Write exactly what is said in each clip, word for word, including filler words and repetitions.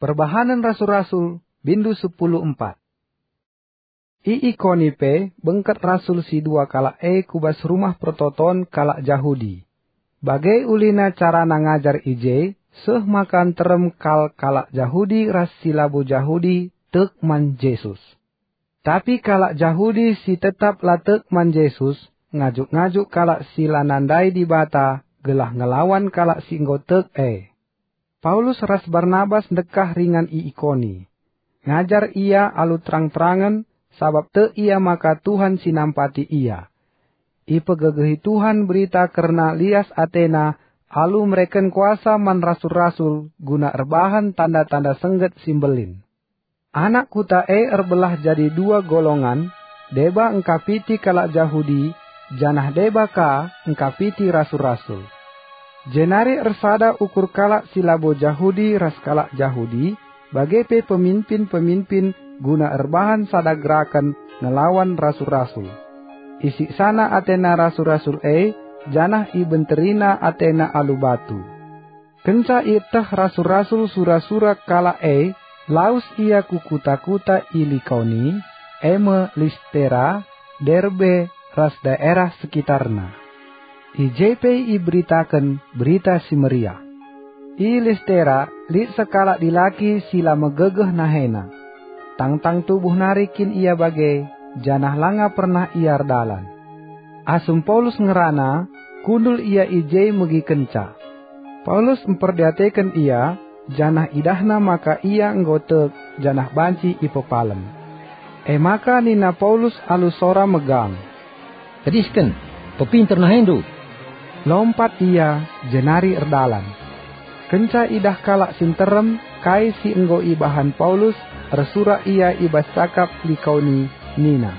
Perbahanen Rasul-Rasul, bindu sepuluh empat. I Ikoni pe bengket rasul si dua kalak e ku bas Rumah Pertoton kalak Jahudi. Bage ulina carana ngajar i je, seh maka nterem kal kalak Jahudi ras si labo Jahudi tek man Jesus. Tapi kalak Jahudi si tetap la tek man Jesus ngajuk-ngajuk kalak si la nandai Dibata gelah ngelawan kalak si enggo tek e. Paulus ras Barnabas ndekah ringan i Ikoni. Ngajar ia alu terang-terangen, sabap tek ia maka Tuhan si nampati ia. Ipegegehi Tuhan berita kerna lias atena alu mereken kuasa man rasul-rasul guna erbahan tanda-tanda sengget si mbelin. Anak kuta e erbelah jadi dua golongan, deba engkapiti kalak Jahudi, janah deba ka engkapiti rasul-rasul. Jenari ersada ukur kalak si labo Jahudi ras kalak Jahudi, bage pe peminpin-peminpin guna erbahan sada geraken ngelawan rasul-rasul. Isiksana atena rasul-rasul e, janah ibenterina atena alu batu. Kenca ieteh rasul-rasul sura-sura kalak e, lawes ia ku kuta-kuta i Likaoni, e me Listera, Derbe, ras daerah sekitarna. I je pe iberitaken Berita Si Meriah. I Listera lit sekalak dilaki si la megegeh nahena. Tangtang tubuh nari kin ia bage, janah langa pernah ia erdalan. Asum Paulus ngerana, kundul ia i je megikenca. Paulus mperdiateken ia, janah idahna maka ia enggo tek janah banci ipepalem. E maka nina Paulus alu sora megang, "Tedisken, pepinter nahendu!" Lompat ia, jenari erdalan. Kenca idah kalak si nterem kai si enggo ibahan Paulus, ersurak ia i bas cakap Likaoni, nina,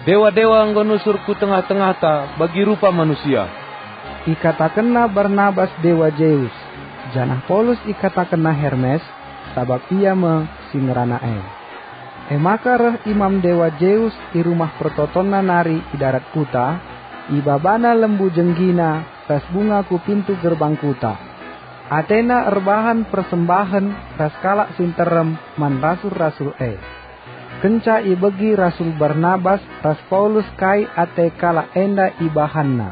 "Dewa-dewa enggo nusur ku tengah-tengahta bagi rupa manusia." Ikatakenna Barnabas dewa Zeus, janah Paulus ikatakenna Hermes, sabap ia me si ngerana e. E maka reh imam dewa Zeus i Rumah Pertotonna nari i darat kuta, ibabana lembu jenggina ras bunga ku pintu gerbang kuta. Atena erbahan persembahen ras kalak si nterem man rasul-rasul e. Kenca ibegi rasul Barnabas ras Paulus kai ate kalak enda ibahanna,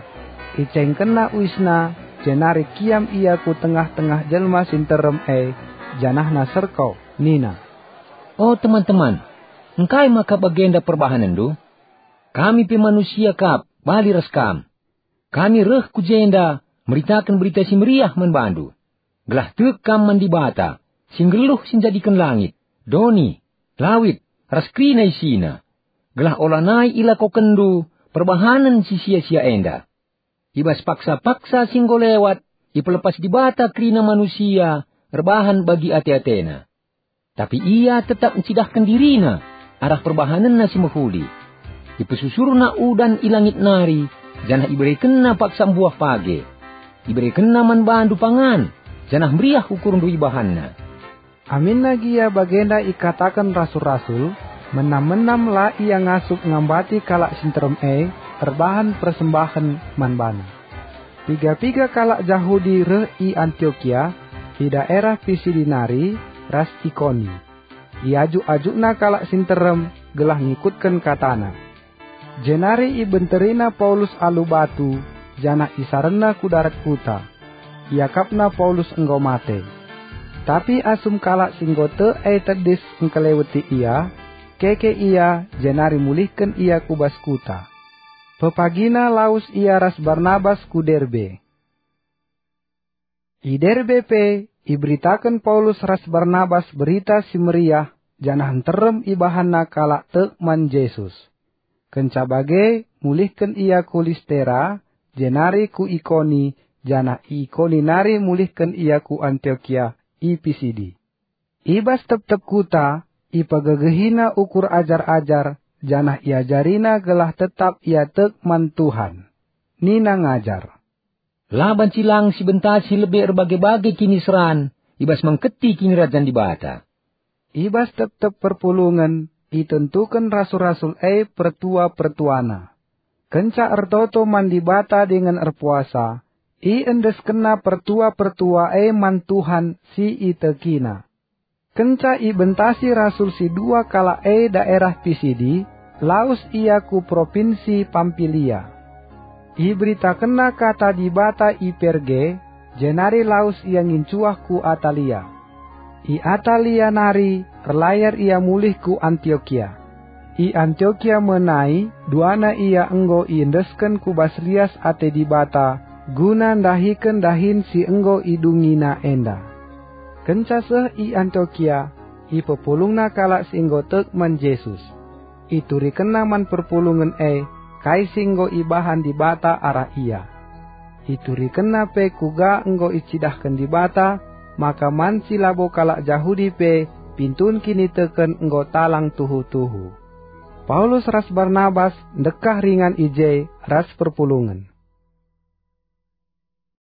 icengkenna uisna, jenari kiam ia ku tengah-tengah jelma si nterem e, janahna serko, nina, "O teman-teman, engkai maka bagenda perbahanenndu? Kami pe manusia kap, bali ras kam. Kami reh ku jenda meritaken Berita Si Meriah man bandu, gelah tek kam man Dibata, si nggeluh si njadiken langit, doni, lawit, ras kerina isina, gelah olanai ilakokenndu perbahanen si sia-sia enda. I bas paksa-paksa si enggo lewat, ipelepas Dibata kerina manusia erbahan bagi ate-atena. Tapi ia tetap ncidahken dirina arah perbahanenna si mehuli. Ipesusurna udan i langit nari, janah iberekenna paksa mbuah page. Iberekenna man bandu pangan, janah meriah ukurndu ibahanna." Aminna gia bagenda ikataken rasul-rasul, menam-menam la ia ngasup ngambati kalak si nterem e erbahan persembahen man bana. Piga-piga kalak Jahudi reh i Antiokia, i daerah Pisidi nari, ras Ikoni. Iajuk-ajukna kalak si nterem gelah ngikutken katana. Jenari ibenterina Paulus alu batu, janah isarenna ku darat kuta. Iakapna Paulus enggo mate. Tapi asum kalak si enggo tek e tedis engkeleweti ia, keke ia, jenari mulihken ia ku bas kuta. Pepagina lawes ia ras Barnabas ku Derbe. I Derbe pe iberitaken Paulus ras Barnabas Berita Si Meriah, janah nterem ibahanna kalak tek man Jesus. Kenca bage, mulihken ia ku Listera, jenari ku Ikoni, janah i Ikoni nari mulihken ia ku Antiokia i Pisidi. I bas tep-tep kuta, ipegegehina ukur ajar-ajar, janah iajarina gelah tetap ia tek man Tuhan. Nina ngajar, "La banci lang sibentasi lebe erbage-bage kiniseran i bas mengketi Kinirajan Dibata." I bas tep-tep perpulungen itentuken rasul-rasul e pertua-pertuana. Kenca ertoto man Dibata dingen erpuasa, iendeskenna pertua-pertua e man Tuhan si itekina. Kenca ibentasi rasul si dua kalak e daerah Pisidi, lawes ia ku propinsi Pampilia. Iberitakenna kata Dibata i Perge, jenari lawes ia ngincuah ku Atalia. I Atalia nari erlayar ia mulih ku Antiokia. I Antiokia me nai duana ia enggo iendesken ku bas lias ate Dibata guna ndahiken dahin si enggo idungina enda. Kenca seh i Antiokia, ipepulungna kalak si enggo tek man Jesus. Iturikenna man perpulungen e kai si enggo ibahan Dibata arah ia. Iturikenna pe kuga enggo icidahken Dibata maka man si labo kalak Jahudi pe pintun kiniteken enggo talang tuhu-tuhu. Paulus ras Barnabas ndekah ringan i je ras perpulungen.